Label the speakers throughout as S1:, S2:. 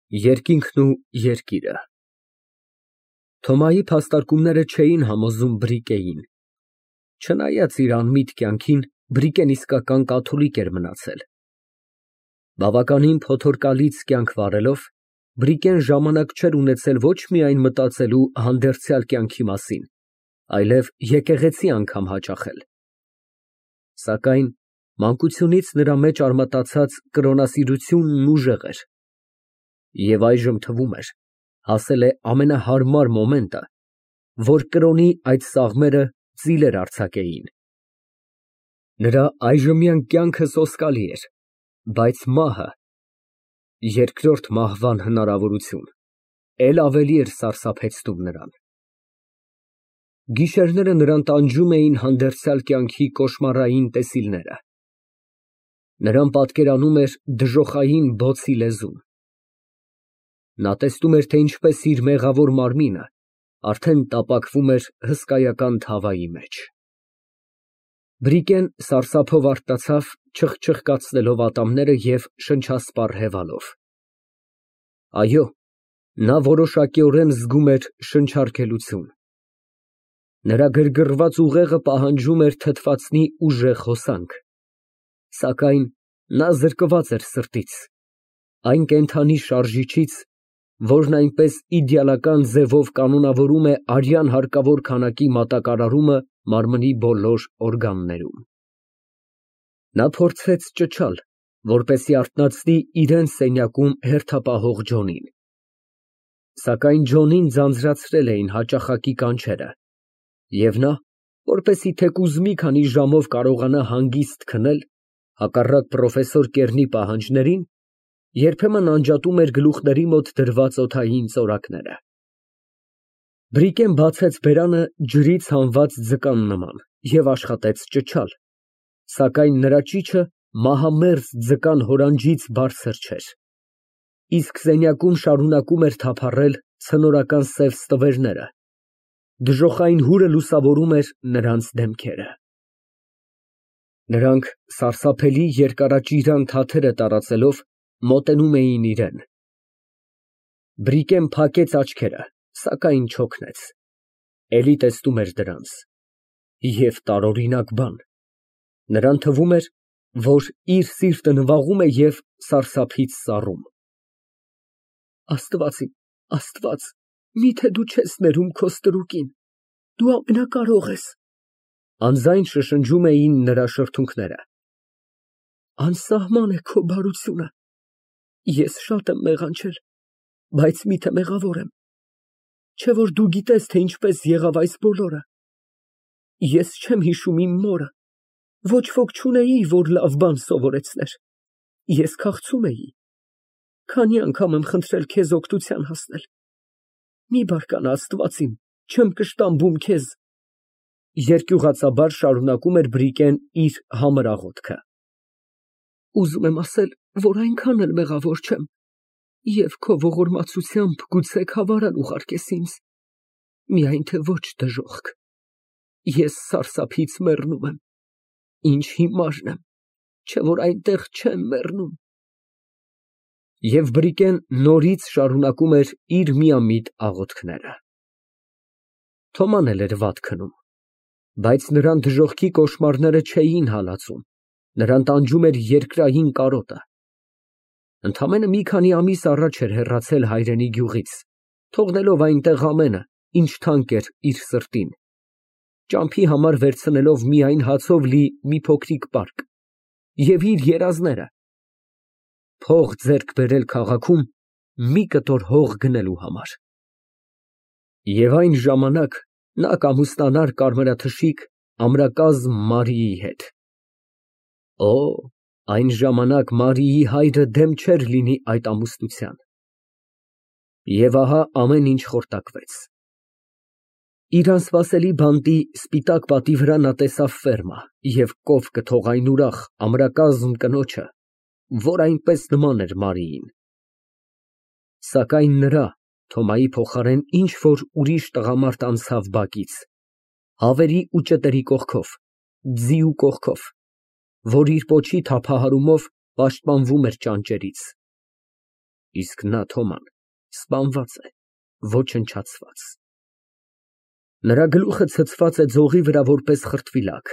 S1: Երկինքն ու երկիրը Թոմայի փաստարկումները չէին համոզում Բրիկեին, չնայած իր անմիտ կյանքին, Բրիկեն իսկական կաթոլիկ էր մնացել։ Բավականին փոթորկալից կյանք վարելով, Բրիկեն ժամանակ չէր ունեցել ոչ միայն մտածելու հանդերձյալ կյանքի մասին, այլև եկեղեցի անգամ հաճախել։ Սակայն մանկությունից նրա մեջ արմատացած կրոնասիրությունն ուժեղ էր, և այժմ թվում էր, հասել է ամենահարմար մոմենտը, որ կրոնի այդ սաղմերը ծիլեր արձակեին։ Նրա այժմյան կյանքը սոսկալի էր, բայց մահը, երկրորդ մահվան հնարավորություն, էլ ավելի էր սարսափեցնում նրան։ Գիշերները նրան տանջում էին հանդերձյալ կյանքի կոշմարային տեսիլները։ Նրան պատկերանում էր դժոխային բոցի լեզուն։ Նա տեսնում էր, թե ինչպես իր մեղավոր մարմինը արդեն տապակվում էր հսկայական թավայի մեջ։ Բրիկեն սարսափով արթնացավ, չխչխկացնելով ատամները և շնչասպառ հևալով։ Այո, նա որոշակիորեն զգում էր շնչարգելություն։ Նրա գրգռված ուղեղը պահանջում էր թթվածնի ուժեղ հոսանք, սակայն նա զրկված էր սրտից, այն կենդանի շարժիչից, որն այնպես իդեալական ձևով կանոնավորում է արյան հարկավոր քանակի մատակարարումը մարմնի բոլոր օրգաններում։ Նա փորձեց ճչալ, որպեսզի արթնացնի իրան սենյակում հերթապահող Ջոնին։ Սակայն Ջոնին ձանձրացրել էին հաճախակի կանչերը, և նա, որպեսզի թեկուզ մի քանի ժամով կարողանա հանգիստ քնել, հակառակ պրոֆեսոր Կեռնի պահանջներին, երբեմն անջատում էր գլուխների մոտ դրված օդային ծորակները։ Բրիկեն բացեց բերանը ջրից հանված ձկան նման և աշխատեց ճչալ, սակայն նրա ճիչը մահամերձ ձկան հորանջից բարձր չէր, իսկ սենյակում շարունակում էր թափառել ցնորական սև ստվերները, դժոխային հուրը լուսավորում էր նրանց դեմքերը։ Նրանք սարսափելի երկարաճիրան թաթերը տարածելով մոտենում էին իրան։ Բրիկեն փակեց աչքերը, սակայն չօգնեց, էլի տեսնում էր դրանց, և տարօրինակ բան, նրան թվում էր, որ իր սիրտը նվաղում է և սարսափից սառում։ Աստված իմ, Աստված, միթե դու չես ներում քո ստրուկին, դու ամենակարող ես, անձայն շշնջում էին նրա շրթունքները։ Անսահման է քո բարությունը, ես շատ եմ մեղանչել, բայց միթե մեղավոր եմ, չէ՞ որ դու գիտես, թե ինչպես եղավ այս բոլորը։ Ես չեմ հիշում իմ մորը, ոչ ոք չունեի, որ լավ բան սովորեցներ, ես քաղցում էի, քանի անգամ եմ խնդրել քեզ օգնության հասնել, մի բարկանա, Աստված իմ, չեմ կշտամբում քեզ։ Երկյուղածաբար շարունակում էր Բրիկեն իր համր աղոթքը։ Ուզում եմ ասել, որ այնքան էլ մեղավոր չեմ, և քո ողորմածությամբ գուցե քավարան ուղարկես ինձ, միայն թե ոչ դժոխք, ես սարսափից մեռնում եմ, ինչ հիմարն եմ, չէ՞ որ այնտեղ չեմ մեռնում։ Եվ Բրիկեն նորից շարունակում էր իր միամիտ աղոթքները։ Թոման էլ էր վատ քնում, բայց նրան դժոխքի կոշմարները չէին հալածում, նրան տանջում էր երկրային կարոտը։ Ընդամենը մի քանի ամիս առաջ էր հեռացել հայրենի գյուղից, թողնելով այնտեղ ամենը, ինչ թանկ էր իր սրտին, ճամփի համար վերցնելով միայն հացով լի մի փոքրիկ պարկ և իր երազները, փող ձեռք բերել քաղաքում մի կտոր հող գնելու համար։ Եվ այն ժամանակ նա կամուստանար կարմրաթշիկ ամրակազմ Մարիի հետ։ Օ, այն ժամանակ Մարիի հայրը դեմ չէր լինի այդ ամուսնության։ Եվ ահա ամեն ինչ խորտակվեց։ Իր անսպասելի բանտի սպիտակ պատի վրա նա տեսավ ֆերմա և կով կթող այն ուրախ, ամրակազմ կնոջը, որ այնպես նման էր Մարիին։ Սակայն նրա, Թոմայի փոխարեն ինչ֊որ ուրիշ տղամարդ անցավ բակից, հավերի ու ճտերի կողքով, ձիու կողքով, որ իր պոչի թափահարումով պաշտպանվում էր ճանճերից։ իսկ նա Թոման սպանված է, ոչնչացված։ Նրա գլուխը ցցված է ձողի վրա որպես խրտվիլակ։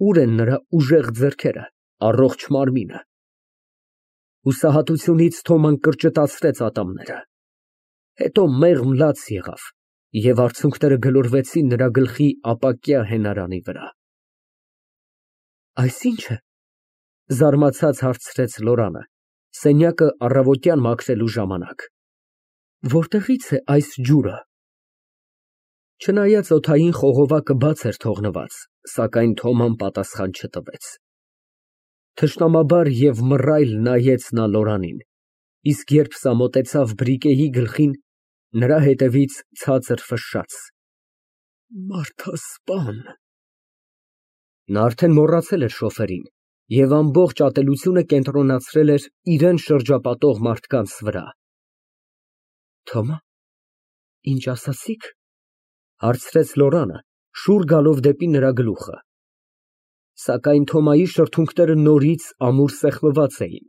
S1: Ուր են նրա ուժեղ ձեռքերը, առողջ մարմինը։ Հուսահատությունից Թոման կրճտացրեց ատամները, հետո մեղմ լաց եղավ և արցունքները գլորվեցին նրա գլխի ապակյա հենարանի վրա։ Այս ի՞նչ է, զարմացած հարցրեց Լորանը, սենյակը առավոտյան մաքրելու ժամանակ։ Որտեղից է այս ջուրը։ Չնայած օդային խողովակը բաց էր թողնված, սակայն Թոման պատասխան չտվեց։ Թշնամաբար և մռայլ նայեց նա Լորանին, իսկ երբ սա մոտեցավ Բրիկեի գլխին, նրա հետևից ցածր ֆշշաց. Մարդասպան։ Նա արդեն մոռացել էր շոֆերին և ամբողջ ատելությունը կենտրոնացրել էր իրան շրջապատող մարդկանց վրա։ Թոմա, ինչ ասացիք, հարցրեց Լորանը, շուռ գալով դեպի նրա գլուխը։ Սակայն Թոմայի շրթունքները նորից ամուր սեղմված էին,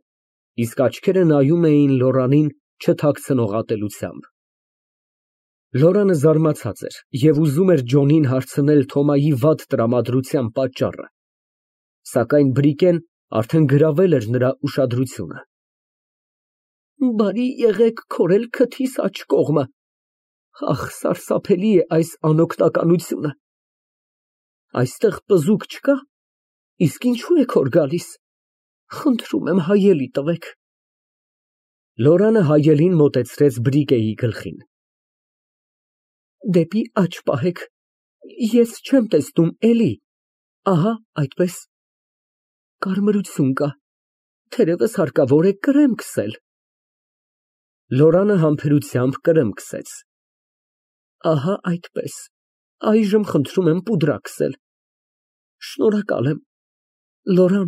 S1: իսկ աչքերը նայում էին Լորանին չթաքցնող ատելությամբ։ Լորանը զարմացած էր և ուզում էր Ջոնին հարցնել Թոմայի վատ տրամադրության պատճառը, սակայն Բրիկեն արդեն գրավել էր նրա ուշադրությունը։ Բարի եղեք քորել քթիս աջ կողմը, ախ, սարսափելի է այս անօգնականությունը։ Այստեղ պզուկ չկա, իսկ ինչու եք հոր գալիս, խնդրում եմ հայելի տվեք։ Լորանը հայելին մոտեցրեց Բրիկեի գլխին։ Դեպի աջ պահեք, ես չեմ տեսնում էլի, ահա այդպես։ Կարմրություն կա, թերևս հարկավոր է կրեմ քսել։ Լորանը համբերությամբ կրեմ քսեց։ Ահա այդպես, այժմ խնդրում եմ պուդրա քսել։ Շնորհակալ եմ, Լորան,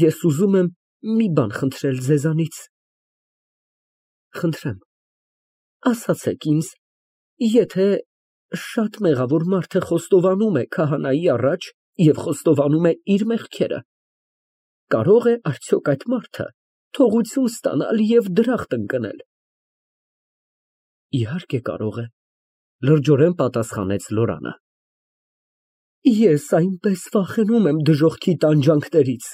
S1: ես ուզում եմ մի բան խնդրել ձեզանից։ Խնդրեմ, ասացեք ինձ, եթե շատ մեղավոր մարդ խոստովանում է քահանայի առաջ և խոստովանում է իր մեղքերը, կարող է արդյոք այդ մարդը թողություն ստանալ և դրախտ ընկնել։ Իհարկե կարող է, լրջորեն պատասխանեց Լորանը։ Ես այնպես վախենում եմ դժոխքի տանջանքներից,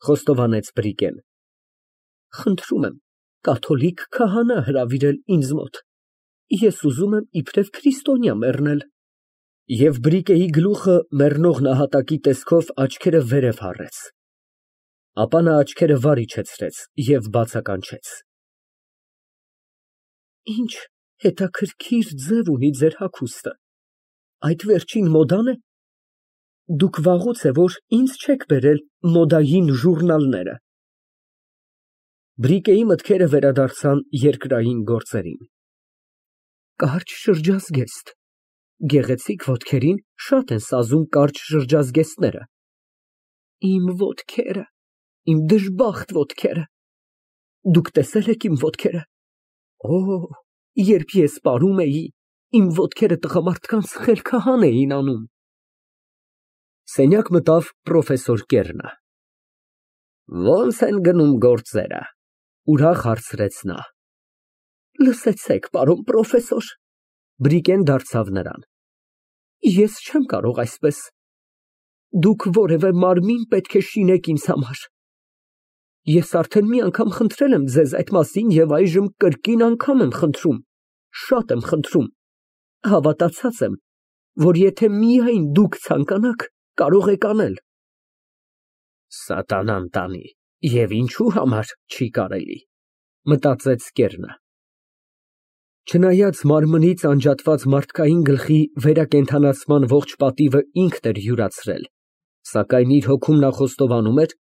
S1: խոստովանեց Բրիկեն։ Խնդրում եմ կաթոլիկ քահանա հրավիրել ինձ մոտ, ես ուզում եմ իբրև քրիստոնյա մեռնել։ Եվ Բրիկեի գլուխը մեռնող նահատակի տեսքով աչքերը վերև հառեց։ Ապա նա աչքերը վար իջեցրեց և բացականչեց։ Ինչ հետաքրքիր ձև ունի ձեր հագուստը, այդ վերջին մոդան է։ Դուք վաղուց է որ ինձ չեք բերել մոդային ժուրնալները։ Բրիկեի մտքերը վերադարձան երկրային գործերին։ Կարճ շրջազգեստ, գեղեցիկ ոտքերին շատ են սազում կարճ շրջազգեստները։ Իմ ոտքերը, իմ դժբախտ ոտքերը, դուք տեսել եք իմ ոտքերը։ Օ, երբ ես պարում էի, իմ ոտքերը տղամարդկանց խելքահան էին անում։ Սենյակ մտավ պրոֆեսոր Կեռնը։ Ո՞նց են գնում գործերը, ուրախ հարցրեց նա։ Լսեցեք, պարոն պրոֆեսոր, Բրիկեն դարձավ նրան։ Ես չեմ կարող այսպես։ Դուք որևէ մարմին պետք է շինեք ինձ համար։ Ես արդեն մի անգամ խնդրել եմ ձեզ այդ մասին և այժմ կրկին անգամ եմ խնդրում, շատ եմ խնդրում, հավատացած եմ, որ եթե միայն դուք ցանկանաք, կարող եք անել։ Սատանան տանի, և ինչու համար չի կարելի, մտածեց Կեռնը։ Չնայած մարմնից անջատված մարդկային գլխի վերակենդանացման ողջ պատիվը ինքն էր յուրացրել, սակայն իր հոգում նա խոստովանում էր,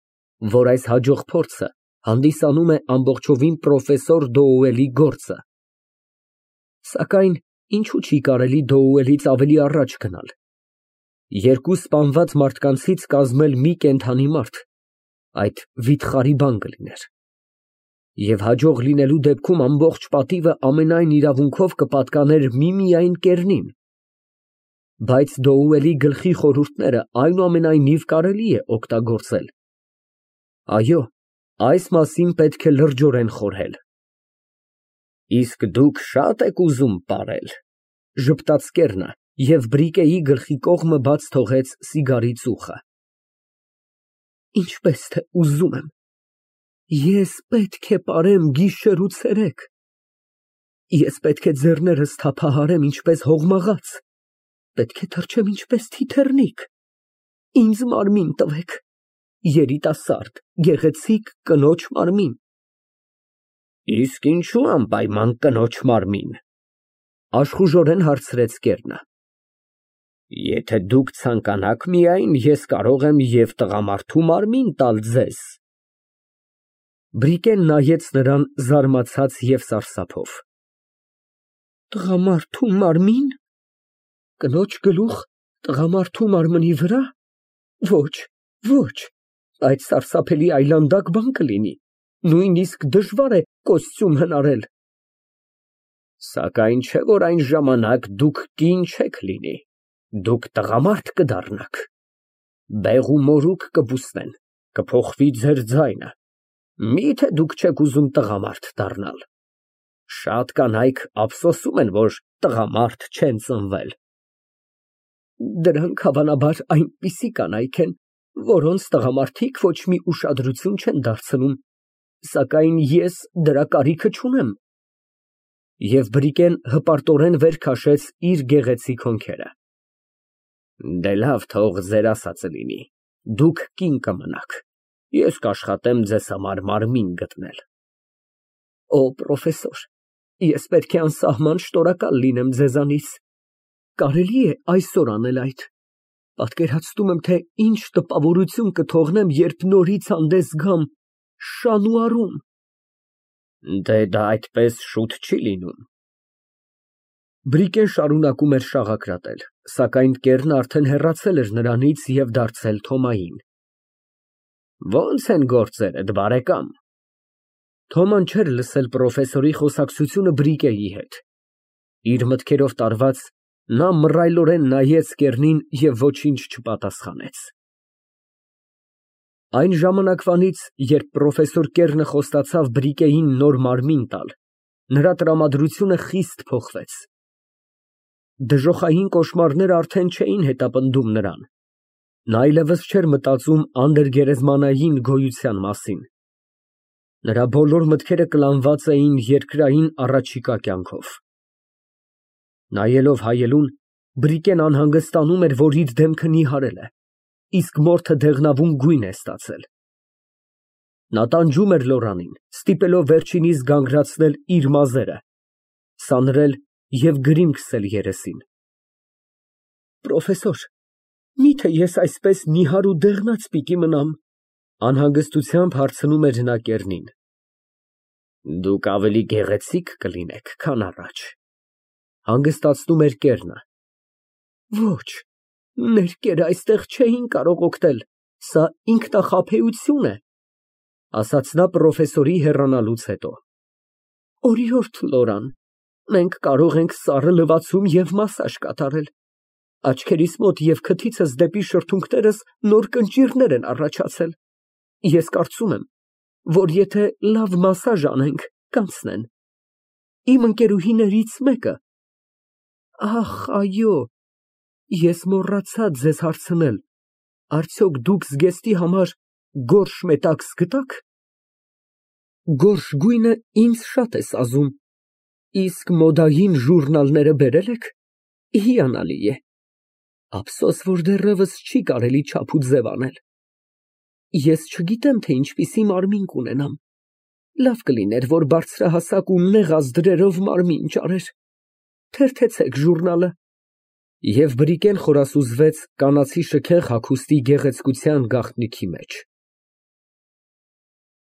S1: որ այս հաջող փորձը հանդիսանում է ամբողջովին պրոֆեսոր Դոուելի գործը։ Սակայն ինչու չի կարելի Դոուելից ավելի առաջ գնալ։ Երկու սպանված մարդկանցից կազմել մի կենդանի մարդ, այդ վիթխարի բան կլիներ։ Եվ հաջող լինելու դեպքում ամբողջ պատիվը ամենայն իրավունքով կպատկաներ միմիայն Կեռնին։ Բայց Դոուելի գլխի խորհուրդները այնուամենայնիվ կարելի է օգտագործել։ Այո, այս մասին պետք է լրջորեն խորհել։ Իսկ դուք շատ եք ուզում պարել, ժպտաց կեռնը և բրիկեի գլխի կողմը բաց թողեց սիգարի ծուխը։ Ինչպես թե ուզում եմ, ես պետք է պարեմ գիշեր ու ցերեկ, ես պետք է ձեռներս թափահարեմ ինչպես հողմաղաց, պետք է թռչեմ ինչպես թիթեռնիկ, ինձ մարմին տվեք, երիտասարդ, գեղեցիկ կնոջ մարմին։ Իսկ ինչու անպայման կնոջ մարմին, աշխուժորեն հարցրեց կեռնը։ Եթե դուք ցանկանաք միայն, ես կարող եմ և տղամարդու մարմին տալ ձեզ։ Բրիկեն նայեց նրան զարմացած և սարսափով։ Տղամարդու մարմին, կնոջ գլուխ տղամարդու մարմնի վրա, ոչ, ոչ, այդ սարսափելի այլանդակ բան կլինի, նույնիսկ դժվար է կոստյում հնարել։ Սակայն չէ որ այն ժամանակ դուք կին չեք լինի, դուք տղամարդ կդառնաք, բեղ ու մորուք կբուսնեն, կփոխվի ձեր ձայնը, միթե դուք չեք ուզում տղամարդ դառնալ։ Շատ կանայք ափսոսում են, որ տղամարդ չեն ծնվել։ Դրանք հավանաբար այնպիսի կանայք են, որոնց տղամարդիկ ոչ մի ուշադրություն չեն դարձնում, սակայն ես դրա կարիքը չունեմ։ Եվ բրիկեն հպարտորեն վեր քաշեց իր գեղեցիկ հոնքերը։ Դե լավ, թող ձեր ասածը լինի, դուք կին կմնաք, ես կաշխատեմ ձեզ համար մարմին գտնել։ Օ, պրոֆեսոր, ես պետք է անսահման շնորհակալ լինեմ ձեզանից, կարելի է այսօր անել այդ, պատկերացնում եմ, թե ինչ տպավորություն կթողնեմ, երբ նորից հանդես գամ Շանուարում։ Դե դա այդպես շուտ չի լինում։ Բրիկեն շարունակում էր շաղակրատել, սակայն կեռն արդեն հեռացել էր նրանից և դարձել Թոմային։ Ո՞նց են գործերդ, բարեկամ։ Թոման չէր լսել պրոֆեսորի խոսակցությունը բրիկեի հետ։ Իր մտքերով տարված, նա մռայլորեն նայեց կեռնին և ոչինչ չպատասխանեց։ Այն ժամանակվանից, երբ պրոֆեսոր Կեռնը խոստացավ բրիկեին նոր մարմին տալ, նրա տրամադրությունը խիստ փոխվեց։ Դժոխային կոշմարները արդեն չէին հետապնդում նրան։ Նա այլևս չէր մտածում անդրգերեզմանային գոյության մասին։ Նրա բոլոր մտքերը կլանված էին երկրային առաջիկա կյանքով։ Նայելով հայելուն, բրիկեն անհանգստանում էր, որ իր դեմքը նիհարել է, իսկ մորթը դեղնավուն գույն է ստացել։ Նա տանջում էր Լորանին, ստիպելով վերջինիս գանգրացնել իր մազերը, սանրել և գրիմ քսել երեսին։ Պրոֆեսոր, միթե ես այսպես նիհար ու դեղնած պիտի մնամ, անհանգստությամբ հարցնում էր նա կեռնին։ Դուք ավելի գեղեցիկ կլինեք, քան առաջ, հանգստացնում էր կեռնը։ Ոչ, ներկերը այստեղ չէին կարող օգնել, սա ինքնախաբեություն է, ասաց նա պրոֆեսորի հեռանալուց հետո։ Օրիորդ Լորան, մենք կարող ենք սառը լվացում և մասաժ կատարել, աչքերիս մոտ և քթիցս դեպի շրթունքներս նոր կնճիռներ են առաջացել, ես կարծում եմ, որ եթե լավ մասաժ անենք, կանցնեն։ Իմ ընկերուհիներից մեկը, ախ, այո, ես մոռացա ձեզ հարցնել, արդյոք դուք զգեստի համար գորշ մետաքս գտաք։ Գորշ գույնը ինձ շատ է սազում, իսկ մոդային ժուրնալները բերել եք, հիանալի է, ափսոս, որ դեռևս չի կարելի չափ ու ձև անել։ Ես չգիտեմ, թե ինչպիսի մարմին կունենամ, լավ կլիներ, որ բարձրահասակ ու նեղ ազդրերով մարմին ճարեր, թերթեցեք ժուրնալը։ Եվ բրիկեն խորասուզվեց կանացի շքեղ հագուստի գեղեցկության գաղտնիքի մեջ։